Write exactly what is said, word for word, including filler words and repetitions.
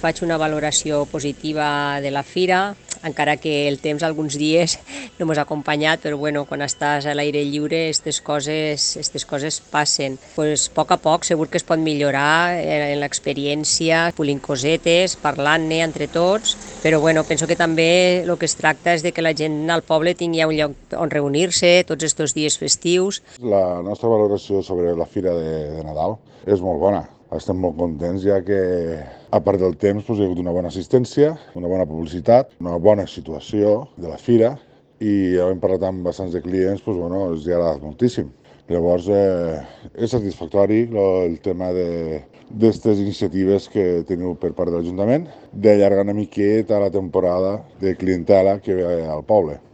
Faig una valoració positiva de la fira, encara que el temps alguns dies no mos ha acompanyat, però bueno, quan estàs a l'aire lliure aquestes coses, aquestes coses passen. Pues, a poc a poc segur que es pot millorar en l'experiència, polint cosetes, parlant-ne entre tots, però bueno, penso que també el que es tracta és de que la gent al poble tingui un lloc on reunir-se tots aquests dies festius. La nostra valoració sobre la Fira de, de Nadal és molt bona. Estem molt contents, ja que, a part del temps, doncs, hi ha hagut una bona assistència, una bona publicitat, una bona situació de la fira, i havent parlat amb bastants de clients, doncs, bueno, els ha agradat moltíssim. Llavors, eh, és satisfactori el tema d'aquestes iniciatives que teniu per part de l'Ajuntament, d'allargar una miqueta la temporada de clientela que ve al poble.